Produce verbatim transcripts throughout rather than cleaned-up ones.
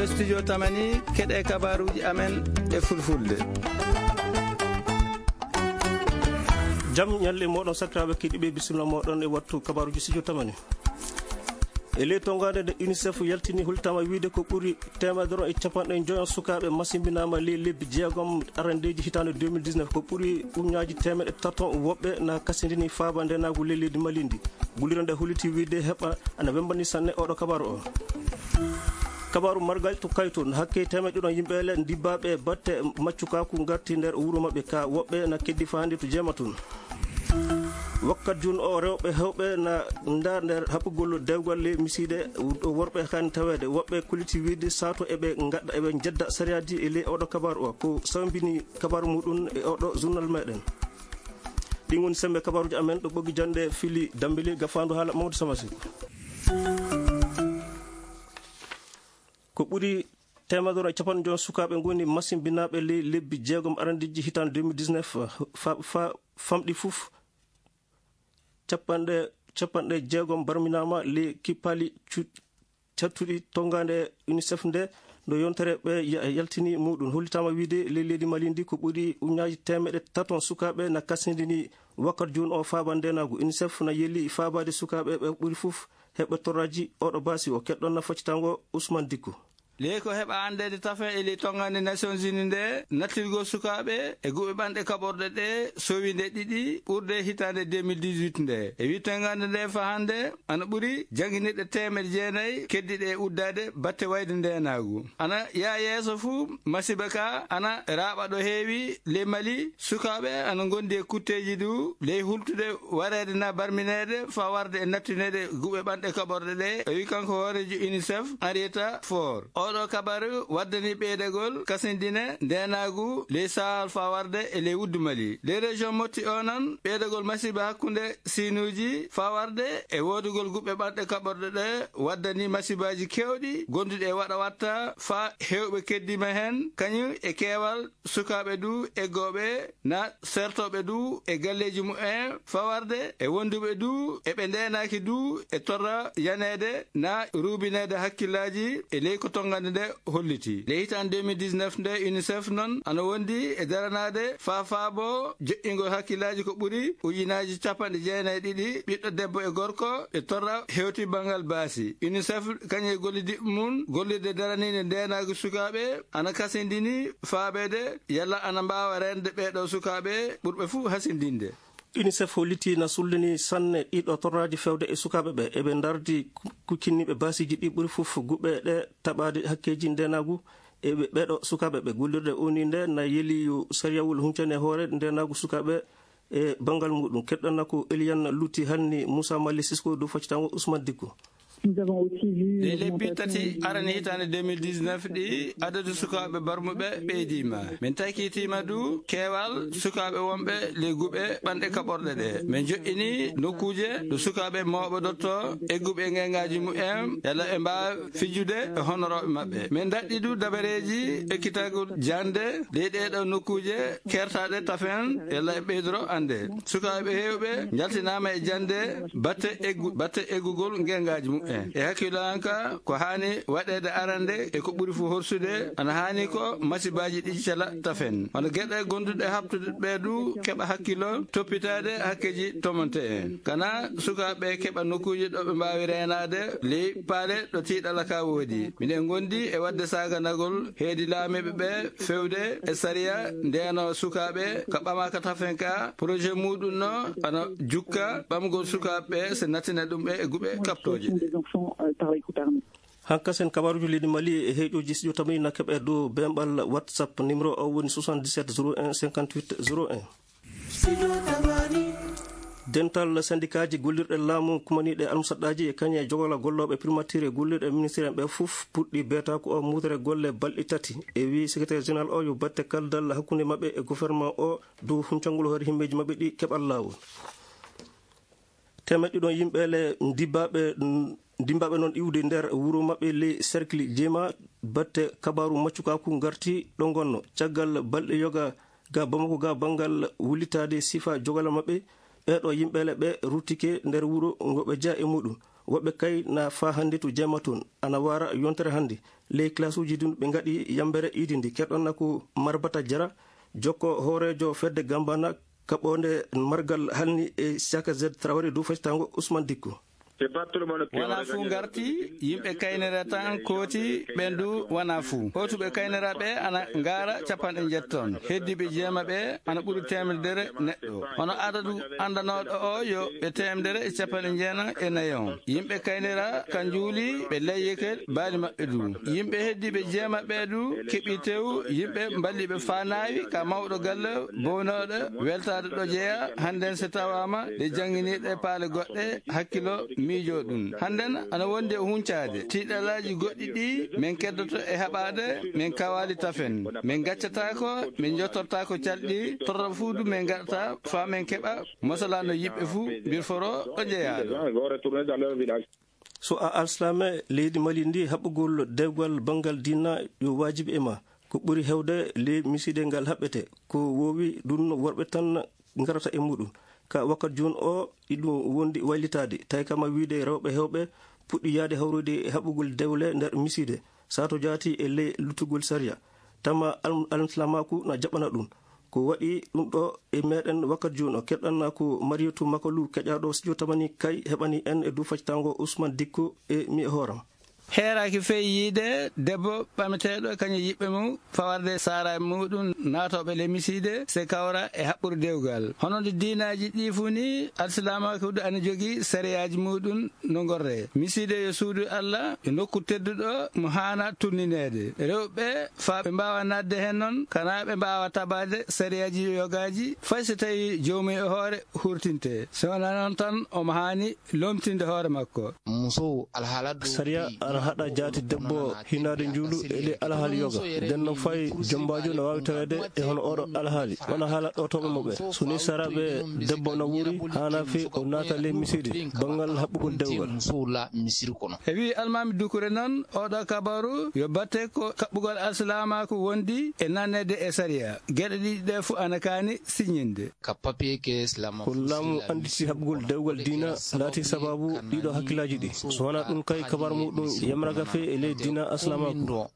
Studio Tamani, keɗe kabaruji amen e fulfulde. Jam ñalle moɗon sakiraaɓe keɗiiɓe, bisimilla moɗon e wattu kabaruji Studio Tamani. E ley tonngande nde, UNICEF yaltini, holtama wiide ko ɓuri teemedere e capanɗe joyo sukaaɓe masimbinaama ley lebbi jeegom arandeeji hitaande deux mille dix-neuf. Ko ɓuri uñaaji teemeɗe tato woɓɓe na kasindini faaba ndeenaagu ley leydi Mali ndi. Gollirde nde holliti wiide heɓa ana wembani sanne oɗo kabaru o. Kabaru margal to Kayto, hakke teemeɗe ɗiɗon yimɓe le ndibbaaɓe batte maccukaaku ngarti nder wuro maɓɓe ka, woɓɓe na keddi faa hannde to jeema tun. Wakkat jun o, rewɓe hewɓe na nda nder haɓugol dewgal ley misiide, worɓe kan taweede, woɓɓe kolliti wiide sato eɓe ngaɗa, eɓe njedda sariyaaji e ley oɗo kabaru o. Ko sawbini kabaru muɗum e oɗo journal meɗen. Ɗin woni sembe kabaruji amen ɗo ɓoggi jande fili Dambili, gafaandu haala Mamadou Samasi. Ko ɓuri teemedere e capanɗe joyo sukaaɓe ngoni masimbinaaɓe ley lebbi jeegom arandeeji hitaande deux mille dix-neuf, fa, fa, famɗi fof capanɗe, capanɗe jeegom barminaama ley kippaali cu-, cattuɗi tonngande UNICEF nde, no yontere ɓe ya-, yaltini muɗum. Hollitaama wiide ley leydi Mali ndi ko ɓuri uñaaji teemeɗe taton sukaaɓe na kasindini wakkat jooni o faaba ndeenaagu. UNICEF na yeli faabaade sukaaɓe ɓe ɓuri fof heɓɓe torraaji oɗo baasi o. Keɗɗon na faccitango Ousmane Dicko. Ley ko heɓa anndeede tafen e ley tonngande Nations Unies nde, nattirgol sukaaɓe e guɓe ɓanɗe kaɓorɗe ɗe sowi nde ɗiɗi ɓurde hitaande deux mille dix-huit nde. E wi tonngande nde fa hannde, ana ɓuri jannginirɗe teemeɗe jeenayi keddiɗe e uddaade batte wayde ndeenaagu. Ana yaa yeeso fuu, masiba ka ana raaɓa ɗo heewi ley Mali. Sukaaɓe ana ngondi e kutteeji du ley hultude wareede na barmineede faa warde e nattineede guɓe ɓanɗe kaɓorɗe ɗe, o wi kanko hooreejo UNICEF, Henrietta Fore. Oɗo kabaru waddani ɓeydagol kasindine ndeenaagu ley Sahel faa warde e ley wuddu Mali. Ley région Mopti o non, ɓeydagol masiba hakkunde siinuuji faa warde e woodugol guɓe ɓanɗe kaɓorɗe ɗe waddani masibaaji keewɗi gonduɗi e waɗa watta faa heewɓe keddiima heen, kañum e keewal sukaaɓe du eggooɓe na sertooɓe du e galleeji mumen faa warde e wonduɓe du e ɓe ndeenaaki du e torra yaneede na ruubineede hakkillaaji e ley ko tonngande nde holliti. Ley hitaande deux mille dix-neuf nde, UNICEF non ana wondi e daranaade faa faabo joƴƴingol hakkillaaji ko ɓuri ujunaaji capanɗe jeenayi e ɗiɗi ɓiɗɗo debbo e gorko e torra hewti banngal baasi. UNICEF kañum e gollidiiɓe mum gollirde daraniinde ndeenaagu sukaaɓe ana kasindini faabeede yalla ana mbaawa reende ɓeeɗo sukaaɓe ɓurɓe fuu hasindinde. UNICEF hollitii na sullini sanne ɗiɗo torraaji fewde e sukaaɓe ɓe. Eɓe ndardi ku-, kuccinniiɓe baasiiji ɗi ɓuri fof guɓe ɗe taɓaade hakkeeji ndeenaagu e ɓe-, ɓeeɗo sukaaɓe ɓe. Gollirde O N U nde na yeli yo sariyawol huncane hoore ndeenaagu sukaaɓe e banngal muɗum. Keɗɗana ko Eliane Lutti hanni Moussa Mali Sisko dow faccitango Ousmane Dicko. Nous avons aussi vu une augmentation. Ɗi lebbi tati arani hitaande deux mille dix-neuf ɗi, adadu sukaaɓe barmuɓe ɓeydiima. Min takitiima du keewal sukaaɓe wonɓe ley guɓe ɓanɗe kaɓorɗe ɗe. Min joƴƴini nokkuuje ɗo sukaaɓe mawɓe dotto egguɓe e ngeengaaji mumen, yalla ɓe mbaawa fijude e honorooɓe maɓɓe. Min daɗɗi du dabareeji ekkitagol jannde ley ɗee ɗoo nokkuuje keertaaɗe tafen, yalla e ɓeydoro annde. Sukaaɓe heewɓe njaltinaama e jannde batte eggu-, batte eggugol ngeengaaji mumen. E hakkillo an ka, ko haani waɗeede arande e ko ɓuri fof horsude, ana haani ko masibaaji ɗi cala tafen. Hono geɗe gonduɗe haɓtude ɓe du keɓa hakkillo, toppitaade hakkeeji tomonte en. Kana sukaaɓe keɓa nokkuuje ɗo ɓe mbaawi reenaade ley paale ɗo tiiɗala ka woodi. Miɗen ngondi e waɗde saaganagol heedi laamiiɓe ɓe fewde e sariya ndeeno sukaaɓe ka ɓamaaka tafen ka, projet muɗum no ana jukka ɓamgol sukaaɓe ɓe, se nattina ɗum ɓe e guɓe kaɓtooje. Hankasen kabaruuji leydi Mali e heeƴooji studio Tamani na keɓe dow bemɓal WhatsApp, numéro o woni soixante-dix-sept zéro un cinquante-huit zéro un. Dental sendikaaji gollirɗe laamu kumaniiɗe almusaɗɗaaji e kañe jogala gollooɓe primatiire gollirɗe ministiire ɓe fof puɗɗi beetaaku o muutere golle balɗe tati. E wii secrétaire général o yo batte kaldal hakkunde maɓɓe e gouvernement o dow huncangol hoore himmeeji maɓɓe ɗi keɓal laawol. Teemeɗɗe ɗiɗon yimɓe le ndibbaaɓe, ndimbaaɓe noon iwde nder wuro maɓɓe ley cercle Jeema batte kabaaru maccukaaku ngarti ɗo ngonno. Caggal balɗe yoga ga Bamako ga banngal wullitaade sifa jogala maɓɓe, ɓeeɗo yimɓe le ɓe ruttike nder wuro ngo ɓe jeya e muɗum. Woɓɓe kay na faa hannde to jeema toon, ana waara yontere hannde. Ley classe uji ɗin ɓe ngaɗi yambere iidi ndi. Keɗonna ko Marbata Jara, jokko hooreejo fedde Gambana kaɓoonde margal halni e Siaka Z Traoré dow faccitaango Ousmane Dikko. Wona fuu ngarti, yimɓe kaynere tan kooti, ɓen du wona fuu. Hootuɓe kaynera ɓe ana ngaara capanɗe njetti ton. Heddiiɓe jeema ɓe ana ɓuri teemedere neɗɗo. Hono adadu anndanooɗo o yo ɓe teemedere e capanɗe jeenayi e nayi on. Yimɓe kaynera ka njuuli ɓe layyike baali maɓɓe du. Yimɓe heddiiɓe jeema ɓe du keɓi tew, yimɓe mballiɓe faa naawi ka mawɗo galle bownooɗo weltaade ɗo jeyaa hannden so tawaama ɗe jannginiiɗe paale goɗɗe hakkilo miijo ɗum. Hannden ana wondi e huncaade tiiɗalaaji goɗɗi ɗi min keddoto e haɓaade min kawaali tafen. Min gaccataako, min jottortaako calɗi torra fuu du min ngaɗata faa min keɓa mosalaano yiɓɓe fuu mbirforo ɗo jeyaaɗo. So a alsilaame leydi Mali ndi, haɓɓugol dewgal banngal diina yo waajibi e ma. Ko ɓuri heewde ley misiide ngal haɓɓete. Ko woowi ɗum worɓe tan ngarata e muɗum. Ka wakkat jooni o, iɗum wondi waylitaade. Tawi kama wiide rewɓe heewɓe puɗɗi yaade hawrude e haɓɓugol dewle nder misiide. Sato jaati e ley luttugol sariya. Tama al-, alsilaamaaku na jaɓana ɗum. Ko waɗi ɗum ɗo e meɗen wakkat jooni o, keɗɗanna ko Mariyatu Makalu, keƴaaɗo studio tamani kay heɓani en e dow faccitaango Ousmane Dikko e mi e hooram. Heeraaki fey yiide debbo ɓameteeɗo kañum yiɓɓe mum fawarde saaraaɓe muɗum naatooɓe le misiide se kawra e haɓɓude dewgal. Hono nde diinaaji ɗi fuu ni, alsilaamaaku du ana jogii sariyaaji muɗum no ngorre. Misiide yo suudu Allah, yo nokku tedduɗo mo haana tunnineede. Rewɓe faa ɓe mbaawa naatde heen noon, kanaa ɓe mbaawa tabaade sariyaaji yogaaji, fay so tawii joomum e hoore hurtinte. So wonaa noon tan, omo haani lomtinde hoore makko. Sariya ana haɗa jaati debbo hinaade njuulu e ley alhaali yoga. Nden no fay jombaajo no waawi taweede e hono oɗo alhaali. Wona haala ɗootooɓe mo ɓe. So ni saraaɓe debbo na wuuri, haana fii o naata ley misiide banngal haɓɓugol dewgal. E wii Almaami Dukure noon, oɗo kabaru yo batte ko kaɓɓugol alsilaamaaku wondi e nanneede e sariya. Geɗe ɗiɗi ɗe fu ana kaani siñinde. Ko laamu annditi haɓugol dewgal diina laati sababu ɗiɗo hakkillaaji ɗi. So wonaa ɗum kay, kabar muɗum yamraga fe e ley diina aslamaku.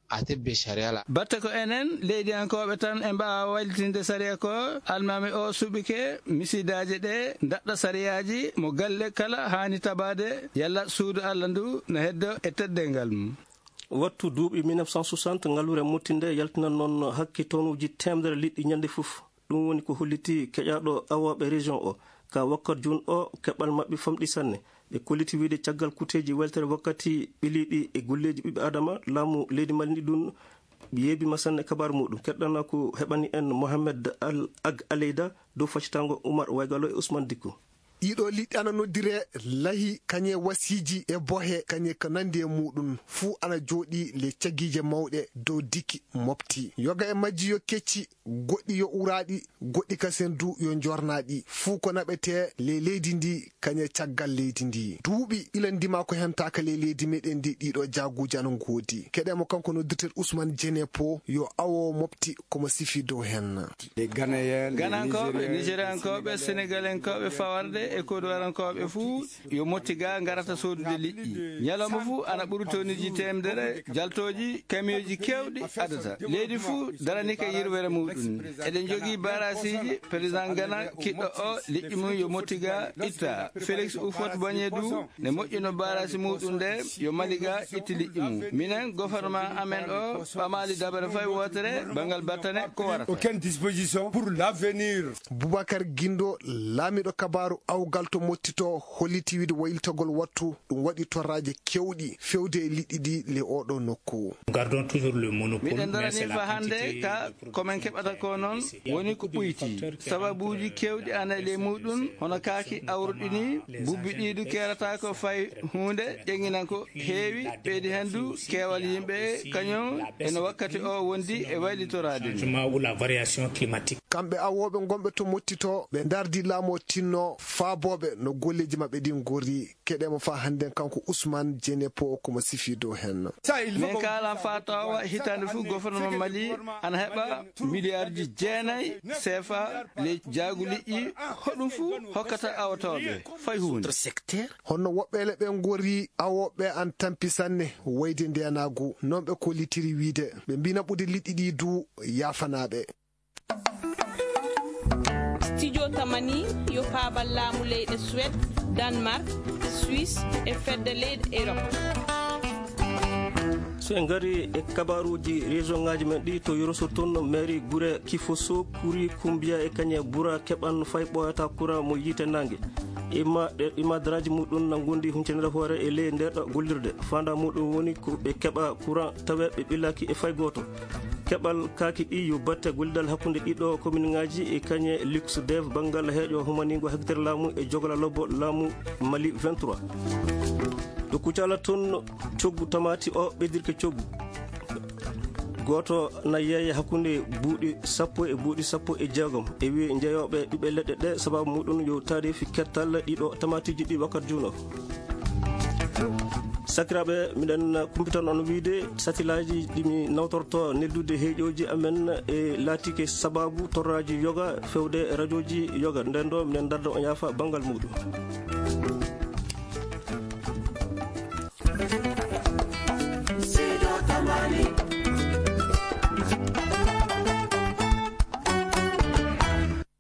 Batte ko enen leydiyankooɓe tan e mbaawa waylitinde sariya ko, almaami o suɓike misidaaje ɗe ndaɗɗa sariyaaji mo galle kala haani tabaade, yalla suudu Allah ndu na heddo e teddeengal mum. Wattu duuɓi mille neuf cent soixante, ngalluure mottinde yaltinan noon hakke tonuuji teemedere liɗɗi ñande fof. Ɗum woni ko holliti keƴaaɗo awooɓe région o. Ka wakkat jooni o, keɓal maɓɓe famɗi sanne. Ɓe kolliti wiide caggal kuteeji weltere wakkati ɓiliiɗi e golleeji ɓiɓɓe Adama, laamu leydi Mali ndi ɗum yeebi ma sanne. Kabaar muɗum keɗɗana ko heɓani en Mohamed Al Ag Aleyda dow faccitango Oumar Waygalo e Ousmane Dikko. Ɗiɗo liɗɗi ana noddire lahi, kañe wasiiji e bohe, kañe ko nandi e muɗum. Fuu ana jooɗi le cagiije mawɗe dow dikki mofti. Yoga e majji yo kecci, goɗɗi yo uraaɗi, goɗɗi kasen du yo jornaaɗi. Fuu ko naɓetee le leydi ndi, kañe caggal leydi ndi. Duuɓi ila ndima ko hentaaka le leydi meɗen ndi, ɗiɗo jaaguuji ana ngoodi. Keɗe mo kanko noddirteɗo Ousmane Jenepo, yo awo mofti komo sifi dow hen. Ganankooɓe, Nigeriankooɓe, Senegalenkooɓe, fawarde e Kodowarankooɓe fuu yo motti ga ngarata soodude liƴƴi. Ñalawma fuu ana ɓuri tonneji teemedere jaltooji kamiyooji keewɗi adata. Leydi fuu darani ka yirwere muɗum. Eɗen jogii baarasiiji, président Gana kiɗɗo o liƴƴi mum yo motti ga itta. Félix Houphouët-Boigny du ne moƴƴino baarasi muɗum nde yo Mali ga itti liƴƴi mum. Minen, gouvernement amen o ɓamaali dabare fay wootere banngal battane ko warata. Aucune disposition pour l'avenir. Boubacar Guindo, laamiɗo kabaaru awgal to mottito, holliti wiide waylitagol wattu ɗum waɗi torraaji kewɗi fewde e liɗɗi ɗi le oɗo nokku. Gardons toujours le monopole. Miɗen darani fa hannde ka ko min keɓata ko noon woni ko ɓuyti. Sababuuji keewɗi ana e ley muɗum, hono kaaki awruɗi ni, bubbi ɗi du keerata ko fay huunde, ƴeŋinan ko heewi, ɓeydi heen du keewal yimɓe, kañum eno wakkati o wondi e waylitoraade ni. Changement ou la variation climatique. Kamɓe awooɓe gonɓe to Mottito, ɓe ndardi laamu o tinno faabooɓe no golleeji maɓɓe ɗin ngorri. Keɗeemo faa hannden kanko Usman Jenepo ko mo sifii dow heen. Min kaalan faa tawa hitaande fof gouvernement Mali ana heɓa miliyaarji jeenay seefa ley jaagu liƴƴi, hoɗum fof hokkata awotooɓe fay huunde. Honno woɓɓe le ɓe ngorri awooɓe an tampi sanne, wayde ndeenaagu, non ɓe kollitiri wiide. Ɓe mbii naɓude liƴƴi ɗi du yaafanaaɓe. Studio Tamani yo paabal laamu leyɗe Suède, Danemark, Suisse e fedde leyɗe Europe. So en ngari e kabaruuji région ŋaaji men ɗi, to Yoroso toon, mairie gure Kifoso, Kuri, Kumbiya e Kañe Bura keɓan fay ɓooyata courant mo yiite naange. Ima, e, ima daraaji muɗum na ngondi huncere hoore e ley nder ɗo gollirde. Fanda muɗum woni ko ɓe keɓa courant tawe ɓe ɓillaki e fay gooto. Keɓal kaaki ɗi yo batte gollidal hakkunde ɗiɗo kominŋaaji e Kañe Luxdev banngal heeƴo humaningo hekitere laamu e jogala lobbo laamu Mali vingt-trois. To Kucala toon, coggu tamaati o ɓeydirke coggu. Gooto na yeeya hakkunde buuɗi sappo e buuɗi sappo e jeegom. E wiye njeeyooɓe ɓiɓɓe leɗɗe ɗe, sababu muɗum yo taarifi kettal ɗiɗo tamaatiiji ɗi wakkati juuno. Sakiraaɓe, miɗen kumpitan on wiide satilaaji ɗi mi nawtorto neldude heeƴooji amen e laatike sababu torraaji yoga fewde rajooji yoga. Nden ɗo miɗen darda on yaafa banngal muɗum.